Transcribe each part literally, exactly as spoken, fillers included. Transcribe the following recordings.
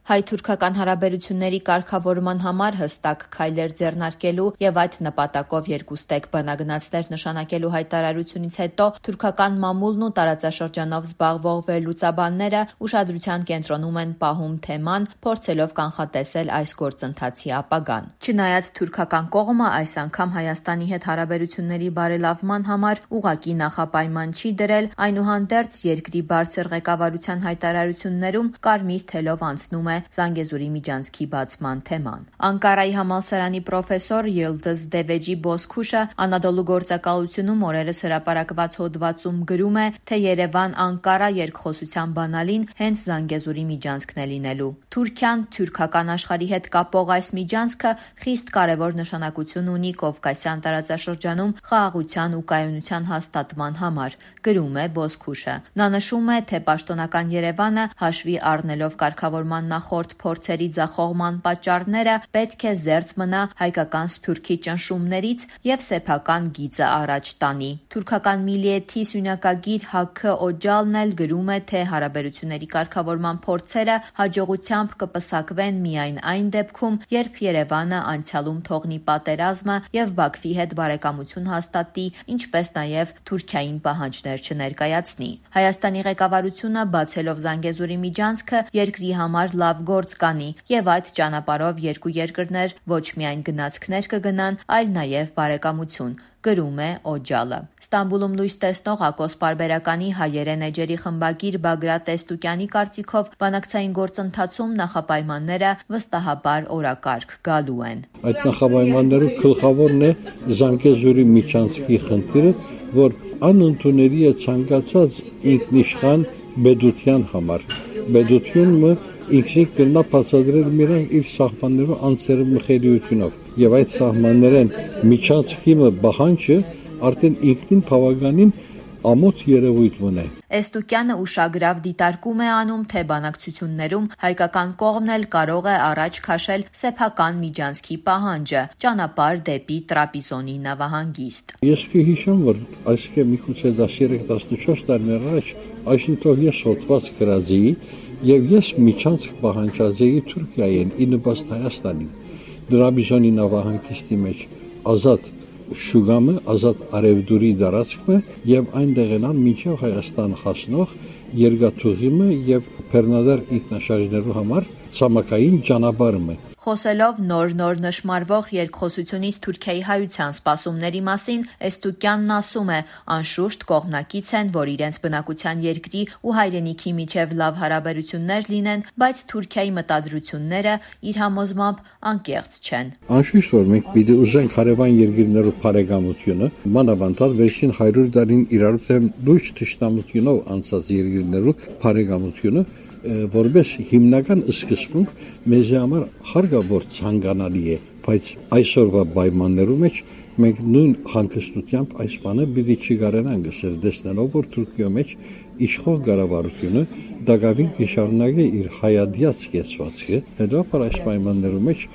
Հայ-թուրքական հարաբերությունների կարգավորման համար հստակ քայլեր ձեռնարկելու եւ այդ նպատակով երկուստեք բանագնացներ նշանակելու հայտարարությունից հետո թուրքական մամուլն ու տարածաշրջանով զբաղվող վերլուծաբանները ուշադրության կենտրոնում են պահում թեման, փորձելով կանխատեսել այս գործընթացի ապագան։ Չնայած թուրքական կողմը այս անգամ Հայաստանի հետ հարաբերությունների բարելավման համար ուղղակի նախապայման չի դրել, այնուհանդերձ երկրի բարձր ղեկավարության հայտարարություններում կարմիր թելով անցնում է Զանգեզուրի միջանցքի բացման թեման։ Անկարայի համալսարանի պրոֆեսոր Ելդыз Դևեջի Բոսքուշը Անադոլու գործակալությունում օրերս հրապարակված հոդվածում գրում է, թե Երևան-Անկարա երկխոսության բանալին հենց Զանգեզուրի միջանցքն է լինելու։ Թուրքիան թուրքական աշխարհի հետ կապող այս միջանցքը խիստ կարևոր նշանակություն ունի Կովկասյան տարածաշրջանում խաղաղության ու կայունության հաստատման համար, գրում է Բոսքուշը։ Նա նշում է, թե պաշտոնական Երևանը հաշվի առնելով կարգավորման նախորդ փորձերի ձախողման պատճառները պետք է զերծ մնա հայկական սփյուռքի ճնշումներից եւ սեփական գիծը առաջ տանի։ Թուրքական Միլիեթի սյունակագիր Հաքը Օջալն էլ գրում է, թե հարաբերությունների կարգավորման փորձերը հաջողությամբ կպսակվեն միայն այն դեպքում, երբ Երևանը անցյալում թողնի պատերազմը եւ Բաքվի հետ բարեկամություն հաստատի, ինչպես նաեւ Թուրքիային պահանջներ չներկայացնի։ Հայաստանի ղեկավարությունը բացելով Զանգեզուրի միջանցքը երկրի համար լավ գործ կանի եւ այդ ճանապարհով երկու երկրներ ոչ միայն գնացքներ կգնան, այլ նաեւ բարեկամություն, գրում է Օջալը։ Ստամբուլում լույս տեսնող Ակոս պարբերականի հայերեն էջերի խմբագիր Բագրատ Տեստուկյանի կարծիքով բանակցային գործընթացում նախապայմանները վստահաբար օրակարգ գալու են։ Այդ նախապայմաններում գլխավորն է Զանգեզուրի միջանցքի խնդիրը, որ անընդունելի է ցանկացած ինքնիշխան բեդության համար։ Բեդությունը ինքնին կնա բացատրել միայն իր սահմաններով անձերի մխելիությունով եւ այդ սահմաններեն միջանցքի բախանջը արդեն ինքնին բավականին ամոթ երևույթ ունի։ Էստուկյանը ուշագրավ դիտարկում է անում, թե բանակցություններում հայկական կողմն էլ կարող է առաջ քաշել սեփական միջանցքի պահանջը, ճանապարհ դեպի Տրապիզոնի նավահանգիստ։ Ես կհիշեմ, որ այսքան միգուցե տասներեք տասնչորս տարիներ առաջ այսինքն ես հոդված գրածի եւ ես միջանցք պահանջածեի Թուրքիային, ի նպաստ Հայաստանին։ Տրապիզոնի նավահանգիստի մեջ ազատ շուգամը, ազատ արևդուրի դարածքը եւ այնտեղ են միջև Հայաստան հասնող երկաթուղիմը եւ Փեռնադար ինքնաշարժներու համար ցամաքային ճանապարհը։ Խոսելով նոր-նոր նշմարվող երկխոսությունից Թուրքիայի հայության սպասումների մասին, Էստուկյանն ասում է, անշուշտ կողմնակից են, որ իրենց բնակության երկրի ու հայրենիքի միջև լավ հարաբերություններ լինեն, բայց Թուրքիայի մտադրությունները իր համոզմամբ անկեղծ չեն։ Անշուշտ որ մենք պիտի ուզենք հարևան երկրներով բարեկամությունը, մանավանդ վերջին հարյուր տարին իրարու լույս թշնամությունով անցած երկրներով բարեկամությունը որպես հիմնական սկզբունք մեզ համար հարգավոր ցանկանալի է, բայց այսօրվա պայմաններում մեջ մենք նույն հանգստությամբ այս բանը պիտի չկարողանանք ասել, տեսնելով որ Թուրքիո մեջ իշխող կառավարությունը դակավին կշարունակի իր հայադյաց կեցվածքը, հետո այս պայմաններում մեջ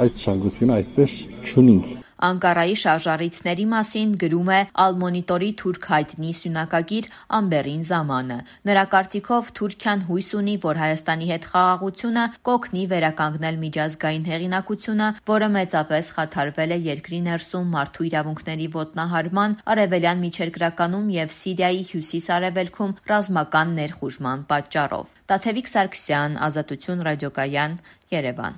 այդ ցանկությունը այդպես չունենք։ Անկարայի շարժառիթների մասին գրում է Ալ-Մոնիտորի թուրք հայտնի սյունակագիր Ամբերին Զամանը։ Նրա կարծիքով Թուրքիան հույս ունի, որ Հայաստանի հետ խաղաղությունը կօգնի վերականգնել միջազգային հեղինակությունը, որը մեծապես խաթարվել է երկրի ներսում մարդու իրավունքների ոտնահարման, արևելյան միջերկրականում եւ Սիրիայի հյուսիս-արևելքում ռազմական ներխուժման պատճառով։ Տաթևիկ Սարգսյան, Ազատություն ռադիոկայան, Երևան։